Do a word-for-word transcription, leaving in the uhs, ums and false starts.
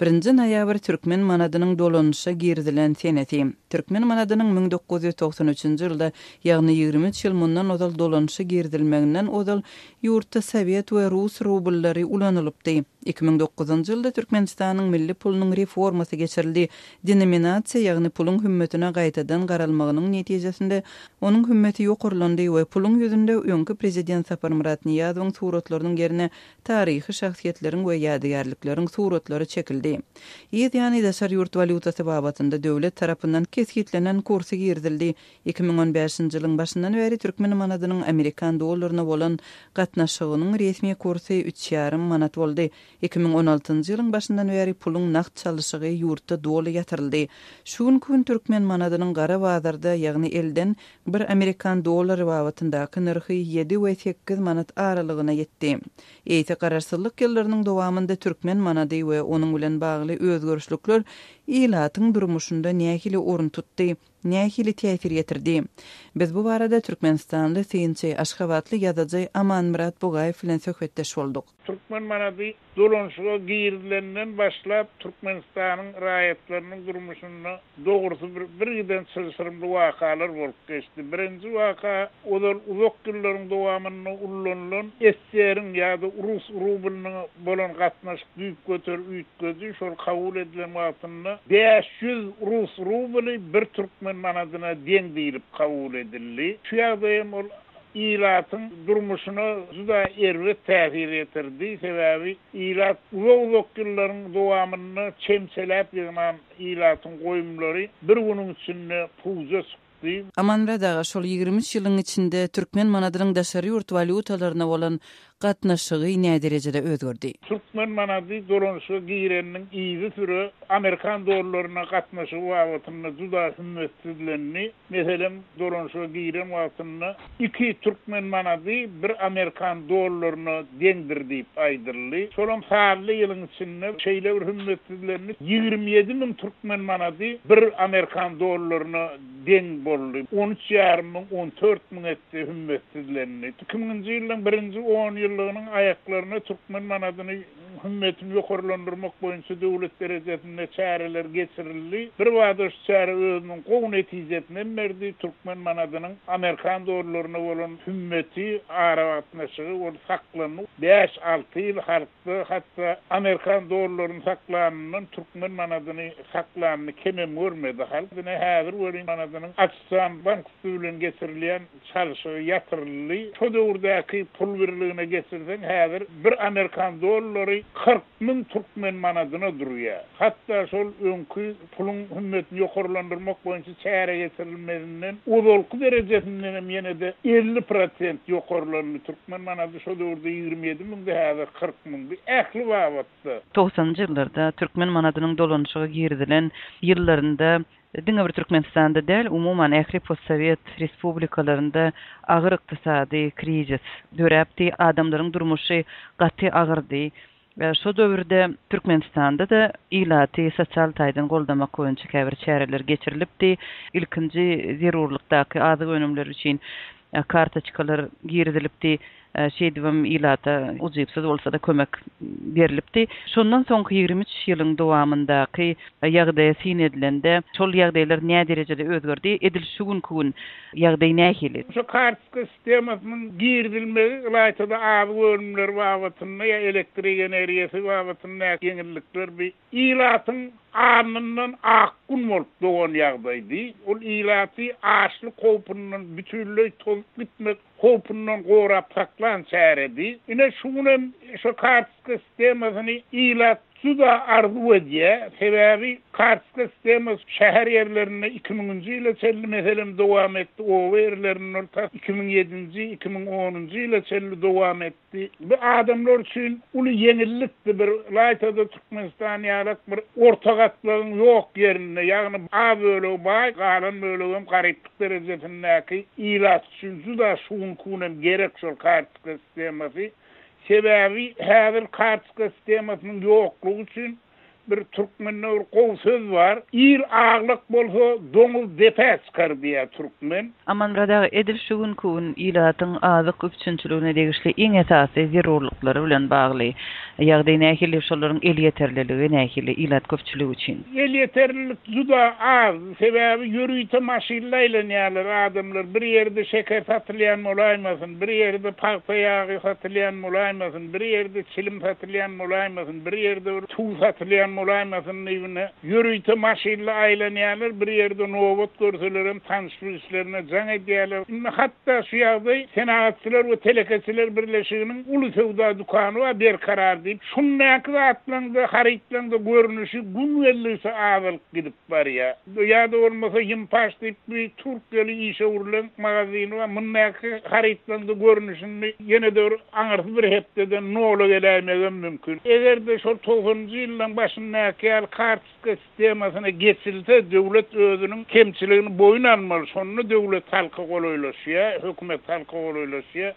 Birinji noýabr türkmen manadynyň dolanyşa girizilen senesi. Türkmen manadynyň müň dokuz ýüz togsan üçünji ýylda, ýagny ýigrimi üç ýyl mundan ozal dolanyşa girizilmeginden ozal ýurtda sowet we rus rubllary ulanylypdy. Iki müň dokuzynjy ýylda Türkmenistanyň milli pulunyň reformasy geçirildi. Denominasiýa, ýagny puluň hümmetine gaýtadan garalmagynyň netijesinde onuň hümmeti ýokarlandy we puluň ýüzünde öňki prezident Saparmyrat Nyýazowyň suratlarynyň ýerine taryhy şahsyýetleriň we ýadygärlikleriň suratlary çekildi. Yz ýany daşary ýurt walýutasy babatynda döwlet tarapyndan kesgitlenen kursy girizildi. Iki müň on bäşinji ýylyň başyndan bäri türkmen manadynyň amerikan dollaryna bolan gatnaşygynyň resmi kursy üç ýarym manat boldy. Iki müň on altynjy ýylyň başyndan bäri puluň nagt çalyşygy ýurtda doly ýatyryldy. Şu günki gün türkmen manadynyň gara bazarda, ýagny elden bir amerikan dollary babatyndaky nyrhy ýedi we sekiz manat aralygyna ýetdi. Eýse garaşsyzlyk ýyllarynyň dowamynda türkmen manady we onuň bilen bagly özgerişlikler ilatyň durmuşynda nähili orun tutdy, nähili täsir ýetirdi? Biz bu barada Türkmenistanly synçy, Aşgabatly ýazyjy Amanmyrat Bugaýew bilen söhbetdeş bolduk. Türkmen manady dolanyşyga girizilenden başlap Türkmenistanyň raýatlarynyň durmuşynda dogrusy bir, bir giden çylşyrymly wakalar bolup geçdi. Birinji waka ozal uzak ýyllaryň dowamynda ulanylan S S R-iň ýa-da rus rublynyň bolan gatnaşyk düýpgöter üýtgedi. Şol kabul edilen wagtynda bäş ýüz rus rubly bir türkmen manadyna deň diýilip kabul edildi. Şu ýagdaýam ol ilatyň durmuşyna juda erbet täsir ýetirdi. Sebäbi ilat uzak-uzak ýyllaryň dowamynda çemçeläp ýygnan ilatyň goýumlary bir günüň içinde puja çykdy. Amanmyrat aga, şol ýigrimi üç ýylyň içinde türkmen manadynyň daşary ýurt walýutalaryna bolan gatnaşygy nä derejede özgerdi? Türkmen manady dolanyşyga gireniniň yzy süre amerikan dollaryna gatnaşygy babatynda juda hümmetsizlendi. Meselem, dolanyşyga giren wagtynda iki türkmen manady bir amerikan dollaryna deňdir diýip aýdyldy. Şolam sanly ýylyň içinde şeýle bir hümmetsizlendi. Ýigrimi ýedi müň türkmen manady bir amerikan dollaryna deň boldy. On üç ýarym müň, on dört müň etse hümmetsizlendi. Iki müňünji ýylyň birinji on ýyllygynyň aýaklaryna türkmen manadyny hümmetini ýokarlandyrmak boýunça döwlet derejesinde çäreler geçirildi. Bir bada şu çäre özüniň gowy netijesini berdi. Türkmen manadynyň amerikan dollaryna bolan hümmeti, aragatnaşygy ol saklandy. Bäş alty ýyl halkda hatda amerikan dollaryny saklanyndan türkmen manadyny saklanyny kemem görmedi. Halk ine häzir welin manadynyň açylan bank üstü bilen geçirilýän çalşygy ýatyryldy. Şo döwürdäki pul birligine geçirseň häzir bir amerikan dollary kyrk müň türkmen manadyna durýar. Hatda şol öňki puluň hümmetini ýokarlandyrmak boýunça çäre geçirilmezinden ozalky derejesinden hem ýene-de elli prosent ýokarlandy. Türkmen manady şo döwürde ýigrimi ýedi müňde, häzir kyrk müňdi. Ähli babatda. Togsanynjy ýyllarda türkmen manadynyň dolanyşyga girizilen ýyllarynda diňe bir Türkmenistanda däl, umuman ähli postsowet respublikalarynda agyr ykdysady krizis döräpdi. Adamlaryň durmuşy gaty agyrdy. Şo döwürde Türkmenistanda da ilaty sosial taýdan goldamak boýunça käbir çäreler geçirilipdi. Ilkinji zerurlykdaky azyk önümleri üçin kartoçkalar girizilipdi. Şeýdibem ilata ujypsyz bolsa da kömek berilipdi. Şondan soňky ýigrimi üç ýylyň dowamyndaky ýagdaýa syn edilende şol ýagdaýlar nä derejede özgerdi? Edil şu günki gün ýagdaý nähili? Şu kartoçka sistemasynyň girizilmegi ylaýtada azyk önümleri babatynda ýa elektrik energiýasy babatynda ýeňillikler bir ilatyň alnyndan ak gün bolup dogan ýagdaýdy. Ol ilaty açlyk howpundan bütünleý tozup gitmek howpundan gorap saklan çäredi. Ine şu günem şu kartoçka sistemasyny ilat juda arzuw edýär. Sebäbi kartoçka sistemasy şäher ýerlerinde iki müňünji ýyla çenli meselem dowam etdi. Oba ýerlerinde ta iki müň ýedinji, iki müň onunjy ýyla çenli dowam etdi. Bu adamlar üçin uly ýeňillikdi. Bir ylaýtada Türkmenistan ýalak bir orta gatlagyň ýok ýerinde, ýagny az bölegi baý, galan bölegi hem garyplyk derejesindäki ilat üçin juda şu günki günem gerek şol kartoçka sistemasy. Sebäbi häzir kartoçka sistemasynyň ýoklugy üçin Bir türkmende bir gowy söz bar. Il aglak bolsa, doňuz depä çykar diýýär türkmen. Amanmyrat aga, edil şu günki gün ilatyň azyk üpjünçiligine degişli iň esasy zerurlyklary bilen bagly ýagdaý nähili, şolaryň elýeterliligi nähili ilat köpçüligi üçin? Elýeterlilik juda az. Sebäbi ýörite maşynla aýlanýarlar adamlar. Bir ýerde şeker satylýan bolaýmasyn, bir ýerde pagta ýagy satylýan bolaýmasyn, bir ýerde çilim satylýan bolaýmasyn, bir ýerde bir tuz satylýan bolaýmasyn diýibine ýörite maşynla aýlanýarlar, bir ýerde nobat görselerem tanyş-bilişlerine jaň edýärler. Indi hatda şu ýagdaý Senagatçylar we telekeçiler birleşiginiň uly söwda dükany bar Berkarar diýip, şundaky zatlaryň-da, harytlaryň-da görnüşi gün geldigiçe azalyp gidip barýar. Ýa-da bolmasa Ýympaş diýip bir türkeli işewürleň magazyny bar, mundaky harytlaryň-da görnüşini ýene-de bir aňyrsy bir hepdeden nola geläýmegem mümkin. Eger-de şol togsanynjy ýyllaryň başyndaky ýaly kartoçka sistemasyna geçilse, döwlet özüniň kemçiligini boýun almaly. Şonda döwlet halka golaýlaşýar, hökümet halka golaýlaşýar.